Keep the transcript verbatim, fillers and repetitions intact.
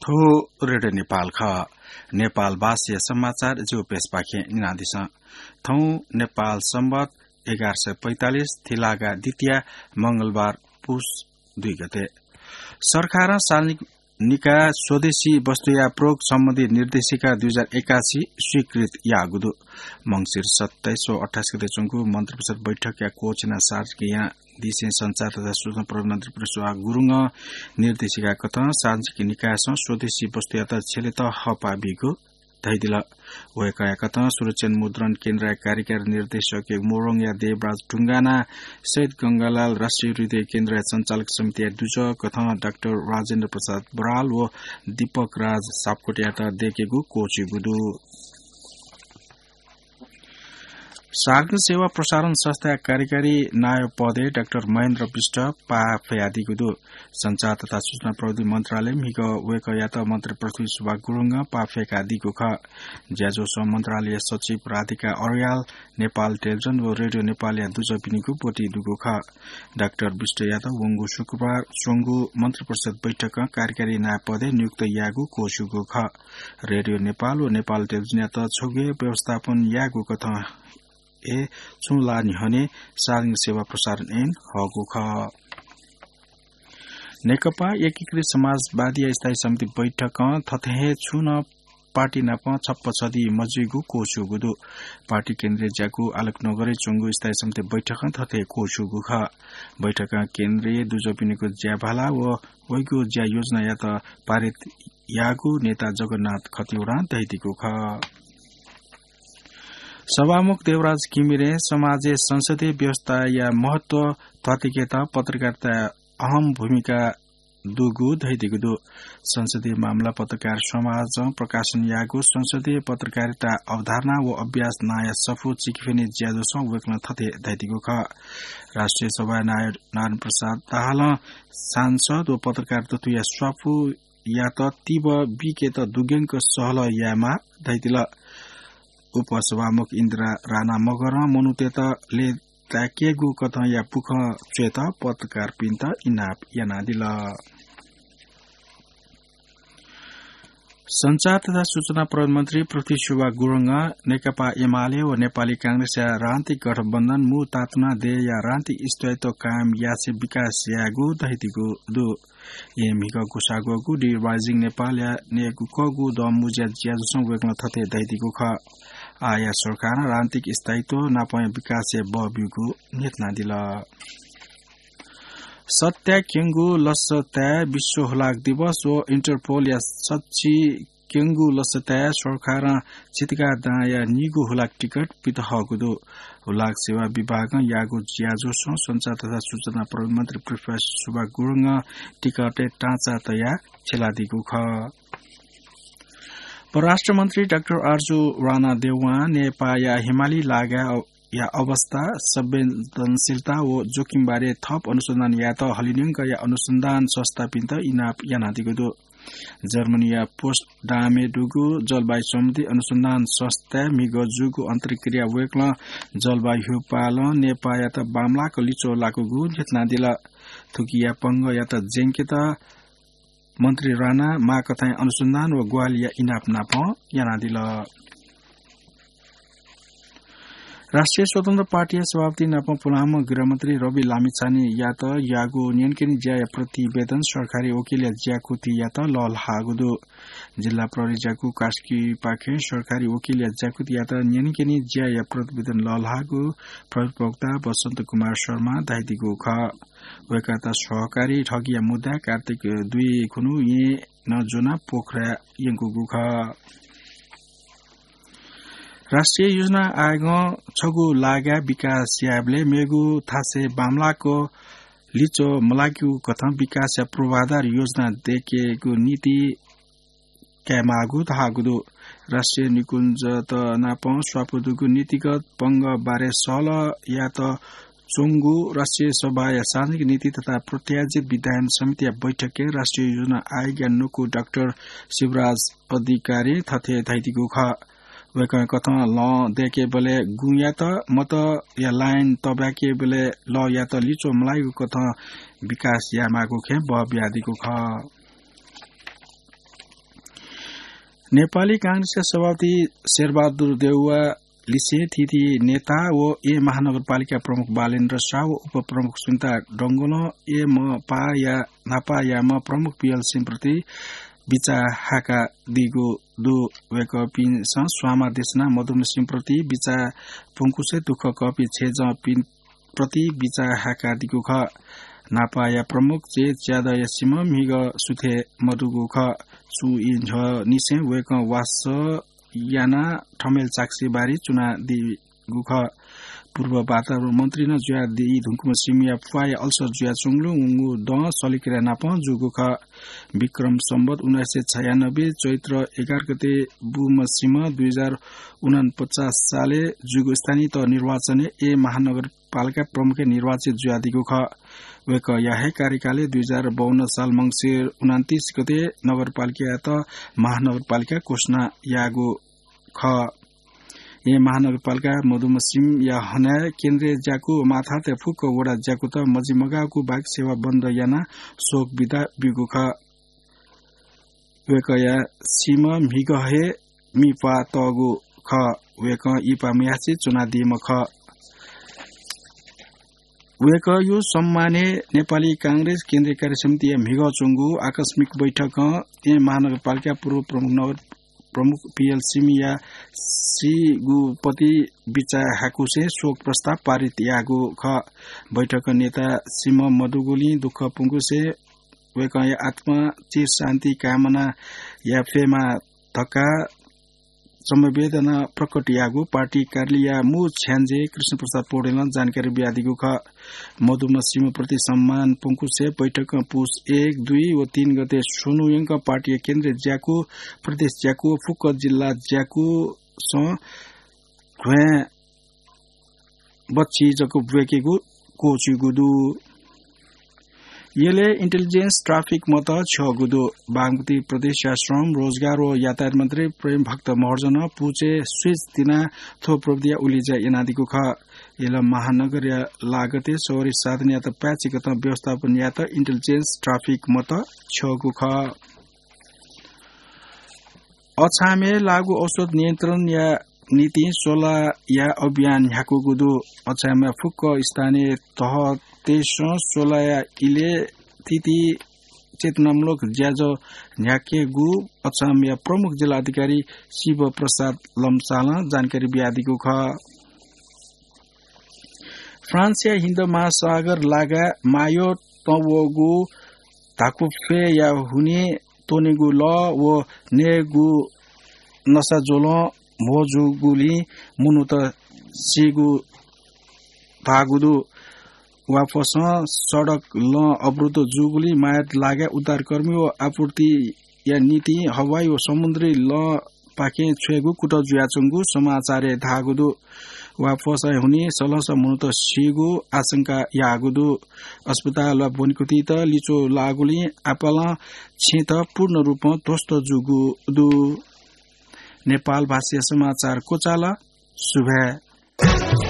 थ्व रेडियो नेपाल खः। नेपाल भाषाया समाचार जिगु पेजपाखें न्यनादिसँ। थौं नेपाल संवत एघार सय पैंतालिस थिलागा द्वितीया मंगलबार पुस दुई गते। सरकारं सार्वजनिक निकाय स्वदेशी वस्तुया प्रयोग सम्बन्धी निर्देशिका दुई हजार एकासी स्वीकृत याःगु दु। मंसिर सत्ताइस व अट्ठाइस गते च्वंगु मन्त्रिपरिषद बैठकया कोचिना सार्वजनिक यानादिसें सञ्चार तथा सूचना प्रविधि मन्त्री प्रदीप सुब्बा गुरुङं निर्देशिका कथं सार्वजनिक निकायसं स्वदेशी वस्तुयात छ्यलेत हःपाः बीगु धयादिल। वय्‌कःया कथं सुरक्षण मुद्रण केन्द्रया कार्यकारी निर्देशक मोरङया देवराज ढुङ्गाना, शहीद गंगालाल राष्ट्रिय हृदय केन्द्रया सञ्चालक समितिया दुजः कथं डाक्टर राजेन्द्र प्रसाद बराल व दीपक राज सापकोटायात दयेकेगु क्वःछिउगु दु। सार्वजनिक सेवा प्रसारण संस्थाया कार्यकारी नायः पदय् डाक्टर महेन्द्र विष्ट पाः फ्यादीगु दु। सञ्चार तथा सूचना प्रविधि मन्त्रालयं म्हिगः वय्‌कःयात मन्त्री पृथ्वी सुब्बा गुरुङं पाः फ्याकादीगु खः। ज्याझ्वलय् मन्त्रालय सचिव राधिका अर्याल, नेपाल टेलिभिजन व रेडियो नेपालया दुजःपिनिगु ब्वति दुगु खः। डाक्टर विष्टयात वंगु शुक्रबार च्वंगु मन्त्रिपरिषद बैठकं कार्यकारी नायः पदय् नियुक्त याःगु क्वःछिउगु खः। रेडियो नेपाल व नेपाल टेलिभिजनयात छगू हे व्यवस्थापन याःगु कथं हे छुं ला न्ह्यःने सार्वजनिक सेवा प्रसारण ऐन हःगु खः। नेकपा एकीकृत समाजवादीया स्थायी समिति बैठकं थथे हे छुं नं पार्टी नाप छप्पा छधी मजुइगु क्वःछिउगु दु। पार्टी केन्द्रीय ज्याकू आलोक नगरय् च्वंगु स्थायी समिति बैठकं थथे क्वःछिउगु खः। बैठकं केन्द्रीय दुजःपिनिगु ज्याभाला व वइगु ज्या योजनायात पारित याःगु नेता जगन्नाथ खतिवडां धयादीगु खः। सभामुख देवराज घिमिरें समाजय् संसदीय व्यवस्थाया महत्व ध्वाथुइकेत पत्रकारिताया अहम भूमिका दुगु धयादीगु दु। संसदीय मामला पत्रकार समाजं प्रकाशन याःगु संसदीय पत्रकारिता अवधारणा व अभ्यास नांया सफू चिकिफिनि ज्याझ्वलय् वय्‌कलं थथे धयादीगु खः। राष्ट्रिय सभाया नायः नारायण प्रसाद दाहालं सांसद व पत्रकार दथुया स्वापू यात तीव्र बीकेत दुग्यंक सहलह यायेमाः धयादिल। उपसभामुख इन्दिरा राणा मगरं मनूतय्‌त लय्‌ताय्‌केगु कथंया पुखं च्वयेत पत्रकारपिन्त इनाप यानादिल। सञ्चार तथा सूचना प्रविधि मन्त्री पृथ्वी सुब्बा गुरुङं नेकपा एमाले व नेपाली कांग्रेसया राजनीतिक गठबन्धन मू तातुना देय्‌या राजनीतिक स्थायित्व कायम यासें विकास यायेगु धयादीगु दु। येँ म्हिगः गुसाग्वःगु The Rising नेपालया नयेकूगु दँमुँज्या ज्याझ्वलय् वय्‌कलं थथे धयादीगु खः। आःया सरकारं राजनीतिक स्थायित्व नापं विकासय् बः ब्यूगु न्ह्यथनादिल। सत्ताया क्यंगु लसताय् विश्व हुलाक दिवस व इन्टरपोलया सच्छि क्यंगु लसताय् सरकारं चितगाः दांया निगू हुलाक टिकट पित हःगु दु। हुलाक सेवा विभागं याःगु ज्याझ्वलय् सञ्चार तथा सूचना प्रविधि मन्त्री पृथ्वी सुब्बा गुरुङं टिकटय् टाँचा तयाः छ्यलादीगु खः। परराष्ट्र मन्त्री डाक्टर आरजु राणा देवां नेपाःया हिमाली लागाया अवस्था, संवेदनशीलता व जोखिमबारे थप अनुसन्धान यायेत हलिंन्यंकया अनुसन्धान संस्थापिन्त इनाप यानादीगु दु। जर्मनीया पोट्सडामय् दुगु जलवायु सम्बन्धी अनुसन्धान संस्थाय् म्हिगः जूगु अन्तर्क्रियाय् वय्‌कलं जलवायु ह्यूपालं नेपाःयात बांमलाक लिच्वः लाकूगु न्ह्यथनादिल। थुकिया पंगःयात ज्यंकेत मन्त्री राणां माःकथंया अनुसन्धान व ग्वाहालिया इनाप नापं यानादिल। राष्ट्रिय स्वतन्त्र पार्टीया सभापति नापं पुलांम्ह गृहमन्त्री रवि लामिछानेयात याःगु न्यंकने ज्याया प्रतिवेदन सरकारी वकिलया ज्याकुथियात लःल्हाःगु दु। जिल्ला प्रहरी ज्याकू कास्कीपाखें सरकारी वकिलया ज्याकुथियात न्यंकने ज्याया प्रतिवेदन लःल्हाःगु प्रहरी प्रवक्ता बसन्त कुमार शर्मां धयादीगु खः। वय्‌कःयात सहकारी ठगीया मुद्दाय् कार्तिक दुई खुन्हु येँ नं ज्वनाः पोखराय् यंकूगु खः। राष्ट्रिय योजना आयोगं छगू लागाय् विकास यायेबलय् मेगु थासय् बांमलाक लिच्वः मलाकेगु कथं विकासया पूर्वाधार योजना दयेकेगु नीति कायेमाःगु धाःगु दु। राष्ट्रिय निकुञ्जत नापं स्वापू दुगु नीतिगत पंगः बारे सहलह यायेत च्वंगु राष्ट्रिय सभाया सार्वजनिक नीति तथा प्रायोजित विधायन समितिया बैठकय् राष्ट्रिय योजना आयोगया न्वकू डाक्टर शिवराज अधिकारीं थथे धयादीगु खः। वय्‌कःया कथं लं दयेकेबलय् गुँयात मतया लाइन तःबाकेबलय् लःयात लिच्वः मलाइगु कथं विकास यायेमाःगु खँय् बः बियादीगु खः। नेपाली कांग्रेसया सभापति शेरबहादुर देउवा लिसें थीथी नेता व ए महानगरपालिका प्रमुख बालेन्द्र शाह व उपप्रमुख सुनिता डंगोलं ए म पाया न्हापायाम्ह प्रमुख पीएल सिंह प्रति बिचाः हाकादीगु दु। वय्कःपिन्सं स्वांमा देछानाः मदुम्ह सिंह प्रति बिचाः पुंकुसे दुःख कःपिं छेँजःपिं प्रति बिचाः हाकादीगु खः। न्हापाया प्रमुख चे च्यादँया सिमा म्हिगः सुथे मदुगु खः। छु ई न्ह्यःनिसें वय्कः वासः यानाः थमेल चाकसी बारी च्वनादीगु खः। पूर्व वातावरण मन्त्री नं जुयादी धुंकूम्ह सिमाया प्वाःया अल्सर जुयाच्वंगुलिं वंगु दँ शल्यक्रिया नापं जूगु खः। विक्रम सम्वत उन्नाइस सय छयानब्बे चैत्र एघार गते बूम्ह सिमा दुई हजार उनन्पचास सालय् जूगु स्थानीय तह निर्वाचनय् ए महानगरपालिका प्रमुखया निर्वाचित जुयादीगु खः। वय्कःया हे कार्यकालय् दुई हजार बाउन्न साल मंसिर उनन्तीस गते नगरपालिकायात महानगरपालिका घोषणा याःगु खः। ए महानगरपालिका मदुम्ह सिमाया हनाय् केन्द्रीय ज्याकू व माथातय् फुक्क वडा ज्याकूत मजिमगाःगु बाहेक सेवा बन्द यानाः शोक बिदा ब्यूगु खः। वय्कःया सिमा म्हिगः हे मिप्वाः तःगु खः। वय्कः इप्वाः मयासें च्वनादीम्ह खः। वय्कःया सम्मानय् नेपाली कांग्रेस केन्द्रीय कार्य समितिया म्हिगः च्वंगु आकस्मिक बैठकं ए महानगरपालिका पूर्व प्रमुख नगर प्रमुख पीएल सिमाया सीगु पति बिचाः हाकुसे शोक प्रस्ताव पारित याःगु खः। बैठकं नेता सिमा मदुगुलिं दुःख पुंकुसे वय्कःया आत्मा चिर शान्ति कामना यायेफयेमा धकाः संवेदना प्रकट याःगु पार्टी कार्यालयया मू छ्याञ्जे कृष्ण प्रसाद पौडेलं जानकारी बियादीगु खः। मदुम्ह सिमा प्रति सम्मान पुंकुसे बैठकं पुस एक, दुई व तीन गते स्वन्हु यंक पार्टीया केन्द्रीय ज्याकू, प्रदेश ज्याकू, फुक्क जिल्ला ज्याकूसं घ्वाँय् बच्छि जक ब्वय्केगु क्वःछिगु दु। यलय् intelligence traffic मत छ्यःगु दु। बागमती प्रदेशया श्रम, रोजगार व यातायात मन्त्री प्रेम भक्त महर्जनं पुचय् switch तिनाः थ्व प्रविधिया उलेज्या यानादीगु खः। यल महानगरया लागतय् सवारी साधनयात पाय्चिकतं व्यवस्थापन यायेत intelligence traffic मत छ्यःगु खः। अछामय् लागू औषध नियन्त्रणया निंतिं स्वलाया अभियान न्ह्याकूगु दु। अछामया फुक्क स्थानीय तहतय्सं स्वलाया इलय् थीथी चेतनामूलक ज्याझ्वः न्ह्याकेगु अछामया प्रमुख जिल्ला अधिकारी शिव प्रसाद लम्सालं जानकारी बियादीगु खः। फ्रान्सया हिन्द महासागर लागाय् मायोट तंवःगु धाकुफ्वय्या हुनिं त्वनेगु लः व नयेगु नसा ज्वलं म्हो जूगुलिं मनूत सीगु धाःगु दु। वाफसं सडक लँ अवरुद्ध जूगुलिं मायोट लागाय् उद्धारकर्मी व आपूर्तिया निंतिं हवाई व समुद्री लँपाखें छ्वयेगु कुतः जुयाच्वंगु समाचारय् धाःगु दु। वाफसं हुनिं सलंसः मनूत सीगु आशंका याःगु दु। अस्पताल वा ब्वनेकुथित लिच्वः लाःगुलिं आपालं छेँत पूर्ण रूपं ध्वस्त जूगु दु। नेपाल भाषाया समाचार क्वचाल। सुभाय्।